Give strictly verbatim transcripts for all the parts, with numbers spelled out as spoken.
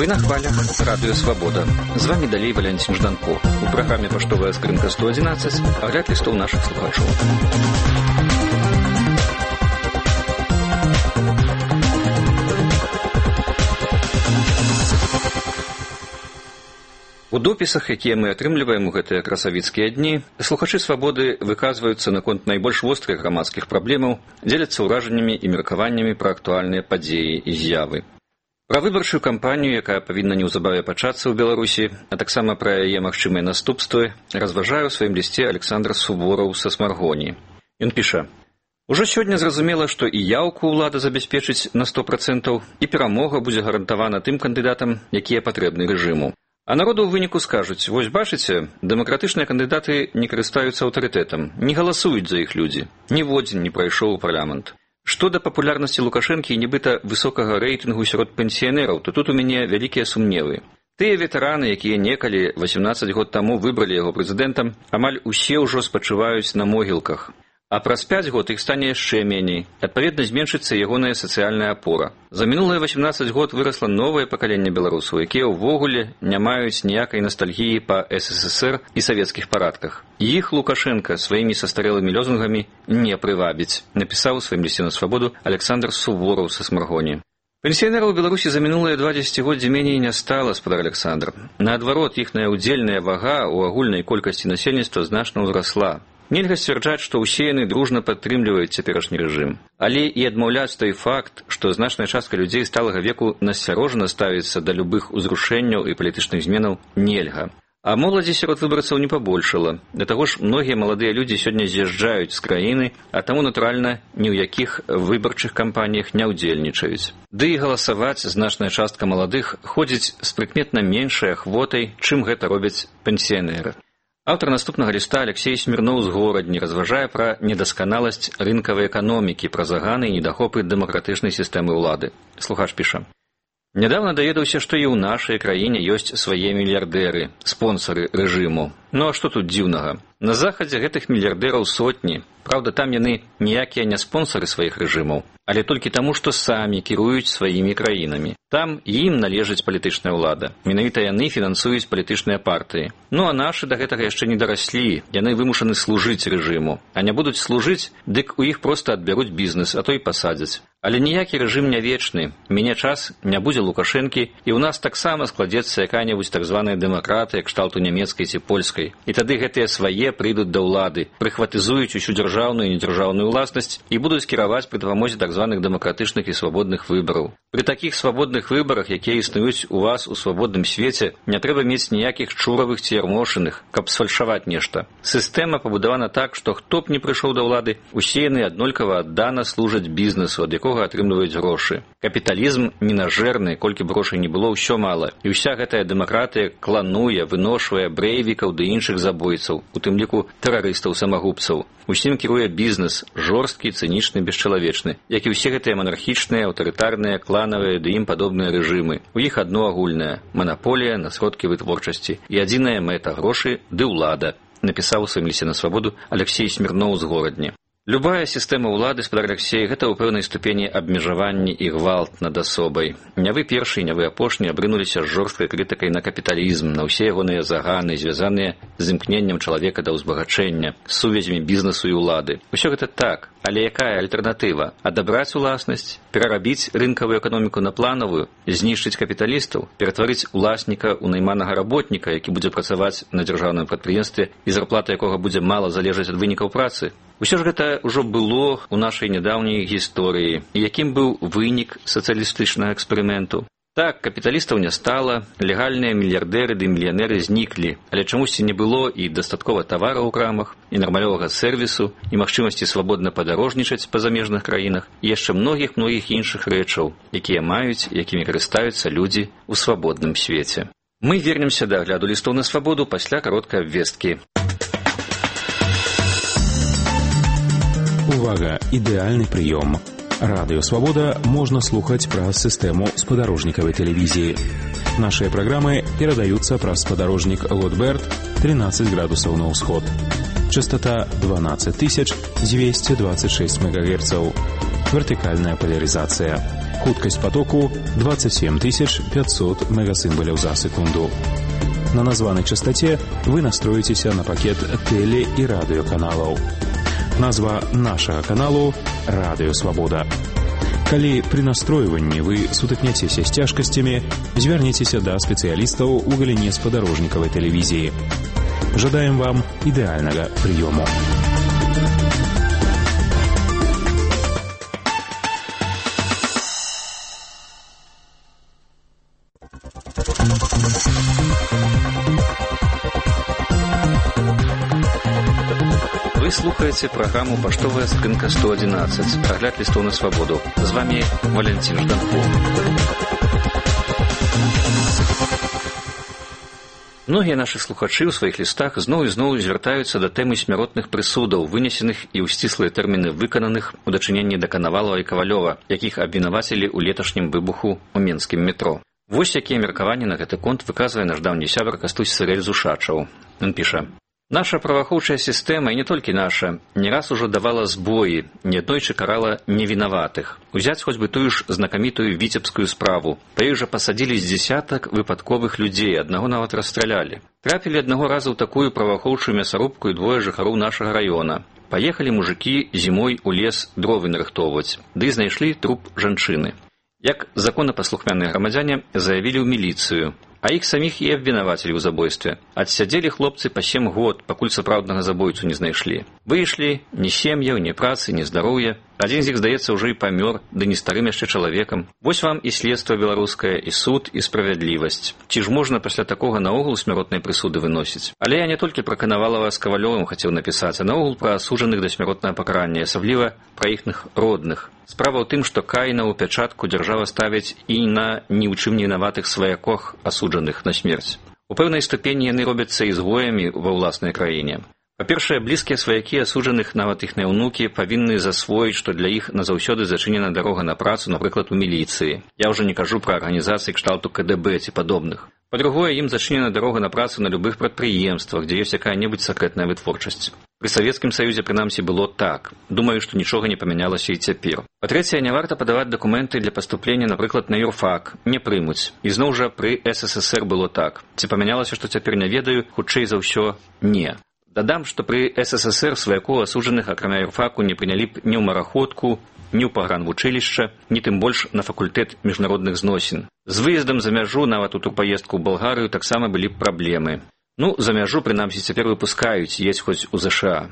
Вы на хвалях Радио Свобода. З вами далей Валентин Жданко. У праграме «Паштовая скрынка сто одиннадцать» агляд лістоў нашых слухачоў. У допісах, якія мы атрымліваем у гэтыя красавіцкія дні, слухачы «Свабоды» выказваюцца наконт найбольш вострых грамадскіх праблемаў, дзеляцца ўражаннямі і меркаваннямі пра актуальныя падзеі і з'явы. Пра выбарчую кампанію, якая павінна неўзабаве пачацца ў Беларусі, а таксама пра яе магчымыя наступствы, разважае ў сваім лісце Александр Сувораў са Смаргоні. Ён піша: «Ужо сёння зразумела, што і яўку ўлада забяспечыць на сто процентаў, і перамога будзе гарантавана тым кандыдатам, якія патрэбны рэжыму. А народу ў выніку скажуць: вось бачыце, дэмакратычныя кандыдаты не карыстаюцца аўтарытэтам, не галасуюць за іх людзі, ніводзін не прайшоў у парламент. Што да папулярнасці Лукашэнкі і нібыта высокага рэйтынгу сярод пенсіянераў, то тут у мяне вялікія сумневы. Тыя ветэраны, якія некалі восемнадцаць год таму выбралі яго прэзідэнтам, амаль усе ўжо спачываюць на могілках. А праз пяць год іх стане яшчэ меней. Адпаведна, зменшыцца ягоная сацыяльная апора. За мінулыя восемнадцаць год вырасла новае пакаленне беларусаў, якія ўвогуле не маюць ніякай ностальгіі па эс эс эс ер і савецкіх парадках. Іх Лукашенка сваімі састарэлымі лозунгамі не прывабіць, напісаў у сваім лісце на Свабоду Александр Сувораў са Смаргоні. Пенсіянераў у Беларусі за мінулыя два дзесяцігоддзі меней не стала, спадар Александр. Наадварот, іхная ўдзельная вага ў агульнай колькасці насельніцтва значна ўзрасла. Нельга сцвярджаць, што ўсе яны дружна падтрымліваюць цяперашні рэжым. Але і адмаўляць той факт, што значная частка людзей сталага веку насцярожана ставіцца да любых узрушэнняў і палітычных зменаў, нельга. А моладзі сярод выбарцаў не пабольшала. Да таго ж, многія маладыя людзі сёння з'язджаюць з краіны, а таму, натуральна, ні ў якіх выбарчых кампаніях не ўдзельнічаюць. Ды і галасаваць значная частка маладых ходзіць з прыкметна меншай ахвотай, чым гэта робяць пенсіянеры. Аўтар наступнага ліста Алексей Смірноў з Горадні разважае пра недасканаласць рынкавай эканомікі, пра заганы і недахопы дэмакратычнай сістэмы ўлады. Слухач піша: «Нядаўна даведаўся, што і ў нашай краіне ёсць свае мільярдэры, спонсары рэжыму. Ну а што тут дзіўнага? На захадзе гэтых мільярдэраў сотні. Праўда, там яны ніякія не спонсары сваіх рэжымаў, але толькі таму, што самі кіруюць сваімі краінамі. Там ім належыць палітычная ўлада. Менавіта яны фінансуюць палітычныя партыі. Ну а нашы да гэтага яшчэ не дараслі. Яны вымушаны служыць рэжыму. А не будуць служыць, дык у іх проста адбяруць бізнес, а то і пасадзяць. Але ніякі рэжым не вечны. Мяне час не будзе Лукашэнкі, і ў нас таксама складзецца якая-небудзь так званая дэмакратыя кшталту нямецкай ці польскай. І тады гэтыя свае прыйдуць да ўлады, прыхватызуюць усю дзяржаўную і недзяржаўную ўласнасць і будуць кіраваць пры дапамозе так званых дэмакратычных і свабодных выбараў. Пры такіх свабодных выбарах, якія існуюць у вас у свабодным свеце, не трэба мець ніякіх чуравых ці ярмошыных, каб сфальшаваць нешта. Сістэма пабудавана так, што хто б не прыйшоў да ўлады, усе яны аднолькава аддана служаць бізнесу, ад якога атрымліваюць грошы. Капіталізм ненажэрны, колькі б грошай не было, ўсё мала. І ўся гэтая дэмакратыя клануе, выношвае брэйвікаў ды іншых забойцаў, у тым ліку тэрарыстаў-самагубцаў. Усім кіруе бізнес, жорсткі, цынічны, бесчалавечны, як і ўсе гэтыя манархічныя, аўтарытарныя, кланавыя ды ім падобныя рэжымы. У іх адно агульнае – манаполія на сродкі вытворчасці і адзіная мэта – грошы ды ўлада, напісаў у сваім лісце на Свабоду Алексей Смірноў з Горадні. Любая сістэма ўлады, спадар Алексей, гэта ў пэўнай ступені абмежаванні і гвалт над асобай. Не вы першы, не вы апошні абрынуліся з жорсткай крытыкай на капіталізм, на ўсе ягоныя заганы, звязаныя з імкненнем чалавека да ўзбагачэння, з сувязямі бізнесу і ўлады. Усё гэта так, але якая альтэрнатыва? Адабраць уласнасць, перарабіць рынкавую эканоміку на планавую, знішчыць капіталістаў, ператварыць уласніка ў найманага работніка, які будзе працаваць на дзяржаўным прадпрыемстве і зарплата якога будзе мала залежаць ад вынікаў працы? Усё ж гэта ўжо было ў нашай нядаўняй гісторыі. І якім быў вынік сацыялістычнага эксперыменту? Так, капіталістаў не стала, легальныя мільярдэры ды мільянеры зніклі, але чамусьці не было і дастаткова тавараў у крамах, і нармалёвага сэрвісу, і магчымасці свабодна падарожнічаць па замежных краінах, і яшчэ многіх-многіх іншых рэчаў, якія маюць, якімі карыстаюцца людзі ў свабодным свеце. Мы вернемся да агляду лістоў на Свабоду пасля кароткай абвесткі. Увага! Ідэальны прыём. Радыё Свабода можна слухаць праз сістэму спадарожнікавай тэлевізіі. Нашыя праграмы перадаюцца праз спадарожнік Лотберт тринадцать градусаў на ўсход. Частота дванадцать тысяч двести двадцать шесть мегагерцаў. Вертикальная поляризация. Хуткасць потоку двадцать семь тысяч пятьсот мегасимволів за секунду. На названной частоте вы настроитеся на пакет теле- и радиоканалов. Назва нашего каналу – «Радио Свобода». Калі при настройванні вы сутыкняцеся з цяжкасцямі, звярніцеся да спецыялістаў у галіне спадарожнікавай тэлевізіі. Жадаем вам ідэальнага прыёму. Вы слухаете программу «Поштовая скрынка сто одиннадцать». Огляд листов на свободу. С вами Валентин Жданков. Многія нашы слухачы ў сваіх лістах зноў і зноў звяртаюцца да тэмы смяротных прысудаў, вынесеных і ў сціслыя тэрміны выкананых у дачыненні да Канавалава і Кавалёва, якіх абвінавацілі ў леташнім выбуху ў менскім метро. Вось якія меркаванні на гэты конт выказвае наш даўні сябар Кастусь Сырэль Зушачаў. Ён піша: «Наша праваахоўчая сістэма, і не толькі наша, не раз ужо давала збоі, неаднойчы карала невінаватых. Узяць хоць бы тую ж знакамітую віцебскую справу. Па ёй жа пасадзілі з дзесятак выпадковых людзей, аднаго нават расстралялі. Трапілі аднаго разу ў такую праваахоўчую мясарубку і двое жыхароў нашага раёна. Паехалі мужыкі зімой у лес дровы нарыхтоўваць, ды знайшлі труп жанчыны. Як законапаслухмяныя грамадзяне заявілі ў міліцыю, а іх саміх і абвінавацілі ў забойстве. Адсядзелі хлопцы па сем год, пакуль сапраўднага забойцу не знайшлі. Выйшлі ні сем'яў, ні працы, ні здароўя. Адзін з іх, здаецца, ўжо і памёр, ды не старым яшчэ чалавекам. Вось вам і следства беларускае, і суд, і справядлівасць. Ці ж можна пасля такога наогул смяротнай прысуды выносіць? Але я не толькі пра Канавалава з Кавалёвым хацеў напісаць, а наогул пра асуджаных да смяротнага пакарання, асабліва пра іхных родных. Справа ў тым, што кайна ў пячатку дзяржава ставіць і на ні ў чым не вінаватых сваякох асуджаных на смерць. У пэўнай ступені яны робяцца ізгоямі ва ўласнай краіне. Па-першае, блізкія сваякі асуджаных, нават іхныя ўнукі, павінны засвоіць, што для іх назаўсёды зачынена дарога на працу, напрыклад, у міліцыі. Я ўжо не кажу пра арганізацыі кшталту ка дэ бэ ці падобных. Па-другое, ім зачынена дарога на працу на любых прадпрыемствах, дзе ёсць якая-небудзь сакрэтная вытворчасць. Пры Савецкім Саюзе, прынамсі, было так. Думаю, што нічога не памянялася і цяпер. Па-трэцяе, не варта падаваць дакументы для паступлення, напрыклад, на юрфак. Не прымуць. І зноў жа пры эс эс эс эр было так. Ці памянялася, што цяпер не ведаю, хутчэй за ўсё, не. Дадам, што пры эс эс эс эр сваякоў асуджаных, акрамя юрфаку, не прынялі б ні ў мараходку, ні ў пагранвучылішча, ні тым больш на факультэт міжнародных зносін. З выездам за мяжу, нават у ту паездку ў Балгарыю, таксама былі б праблемы. Ну, за мяжу, прынамсі, цяпер выпускаюць, едзь хоць у зэ ша а.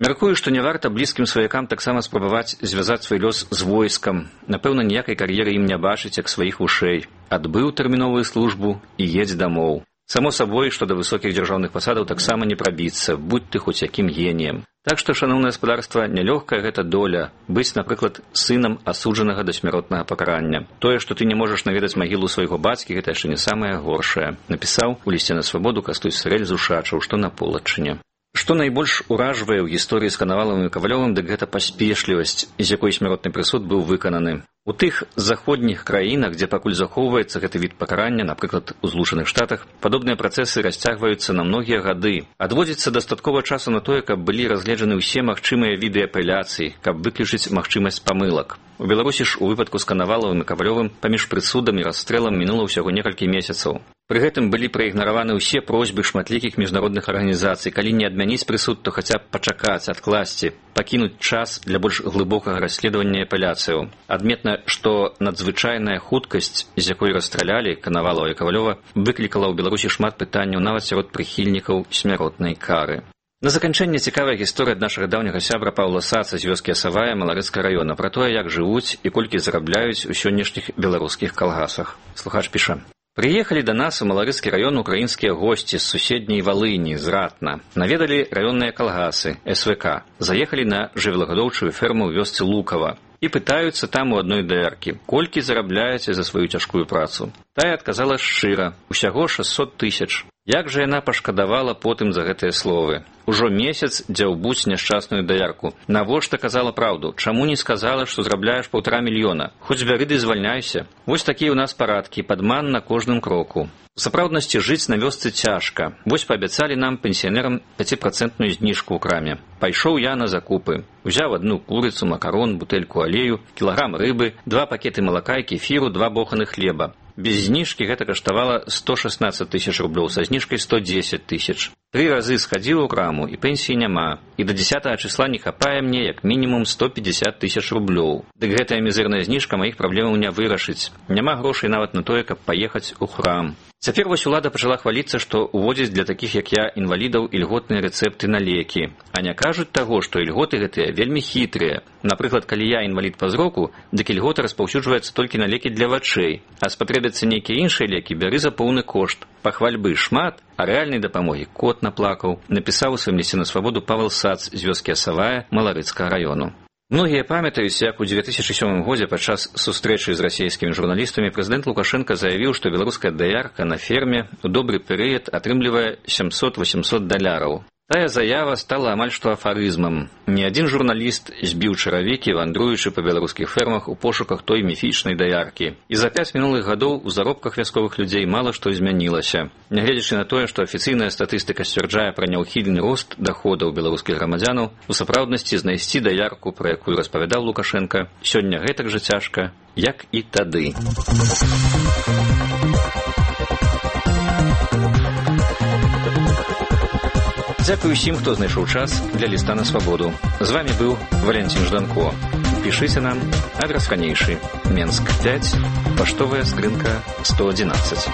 Мяркую, што не варта блізкім сваякам таксама спрабаваць звязаць свой лёс з войскам. Напэўна, ніякай кар'еры ім не бачыць, як сваіх вушэй. Адбыў тэрміновую службу і едзь дамоў. Само сабой, што да высокіх дзяржаўных пасадаў таксама не прабіцца, будь ты хоць якім геніем. Так што, шаноўнае гаспадарства, нялёгкая гэта доля быць, напрыклад, сынам асуджанага да смяротнага пакарання. Тое, што ты не можаш наведаць магілу свайго бацькі, гэта яшчэ не самае горшае. Напісаў у лісце на свабоду Кастусь Сырэль Зушачаў, што на полачыне. Што найбольш уражвае ў гісторыі з Канавалавым і Кавалёвым, дык гэта паспешлівасць, з якой смяротны прысуд быў выкананы. У тых заходніх краінах, дзе пакуль захоўваецца гэты від пакарання, напрыклад, у Злучаных Штатах, падобныя працэсы расцягваюцца на многія гады. Адводзіцца дастаткова часу на тое, каб былі разгледжаны ўсе магчымыя віды апеляцый, каб выключыць магчымасць памылак. У Беларусі ж у выпадку з Канавалавым і Кавалёвым паміж прысудам і расстрэлам мінула ўсяго некалькі месяцаў. Пры гэтым былі праігнараваны ўсе просьбы шматлікіх міжнародных арганізацый, калі не адмяніць прысуд, то хаця б пачакаць, адкласці, пакінуць час для больш глыбокага расследавання апеляцыяў. Адметна, што надзвычайная хуткасць, з якой расстралялі Канавалава і Кавалёва, выклікала ў Беларусі шмат пытанняў нават сярод прыхільнікаў смяротнай кары. На заканчэнне цікавая гісторыя ад нашага даўняга сябра Паўла Саца з вёскі Асавая Маларыцкага раёна пра тое, як жывуць і колькі зарабляюць у сённяшніх беларускіх калгасах. Слухач піша: «Приехали до нас у Маларыцкі раён украінскія госці з суседняй Валыні, з Ратна. Наведалі раённыя калгасы, эс вэ ка. Заехалі на жывёлагадоўчую ферму ў вёсцы Лукава. І пытаюцца там у адной даяркі, колькі зарабляеце за сваю цяжкую працу. Тая адказала шчыра, усяго шэсцьсот тысяч. Як жа яна пашкадавала потым за гэтыя словы. Ужо месяц дзяўбуць няшчасную даярку. Навошта казала праўду? Чаму не сказала, што зрабляеш паўтара мільёна? Хоць бяры ды звальняйся. Вось такія ў нас парадкі, падман на кожным кроку. У сапраўднасці жыць на вёсцы цяжка. Вось паабяцалі нам, пенсіянерам, пяціпрацэнтную зніжку ў краме. Пайшоў я на закупы. Узяў адну курыцу, макарон, бутэльку алею, кілаграм рыбы, два пакеты малака і кефіру, два боханы хлеба. Без зніжкі гэта каштавала сто шаснаццаць тысяч рублёў, са зніжкай сто дзесяць тысяч. Тры разы схадзіў у краму, і пенсіі няма. І да дзесятага числа не хапае мне як мінімум сто пятьдесят тысяч рублёў. Дык гэтая мізэрная зніжка маіх праблемаў не вырашыць. Няма грошай нават на тое, каб паехаць у храм. Цяпер вось улада пачала хваліцца, што ўводзіць для такіх, як я, інвалідаў ільготныя рэцэпты на лекі. А не кажуць таго, што ільготы гэтыя вельмі хітрыя. Напрыклад, калі я інвалід па зроку, дык ільгота распаўсюджваецца толькі на лекі для вачэй, а спатрэбяцца нейкія іншыя лекі, бяры за поўны кошт. Пахвальбы шмат, а рэальнай дапамогі кот наплакаў, напісаў у сваім лісце на свабоду Павел Сац з вёскі Асавая Маларыцкага району. Многія памятаюць, як у две тысячы сёмым годзе падчас сустрэчы з расійскімі журналістамі прэзідэнт Лукашенка заявіў, што беларуская даярка на ферме ў добры перыяд атрымлівае сямсот-восемьсот даляраў. Тая заява стала амаль што афарызмам. Ні адзін журналіст збіў чаравікі, вандруючы па беларускіх фермах у пошуках той міфічнай даяркі. І за пяць мінулых гадоў у заробках вясковых людзей мала што змянілася. Нягледзячы на тое, што афіцыйная статыстыка сцвярджае пра няўхільны рост даходаў беларускіх грамадзянаў, у сапраўднасці знайсці даярку, пра якую распавядаў Лукашенка, сёння гэтак жа цяжка, як і тады. Дзякую усім, хто знайшоў час для ліста на свабоду. З вами быў Валентин Жданко. Пішыце нам, адрес ранейшы. Менск пять, паштовая скрынка сто одиннадцать.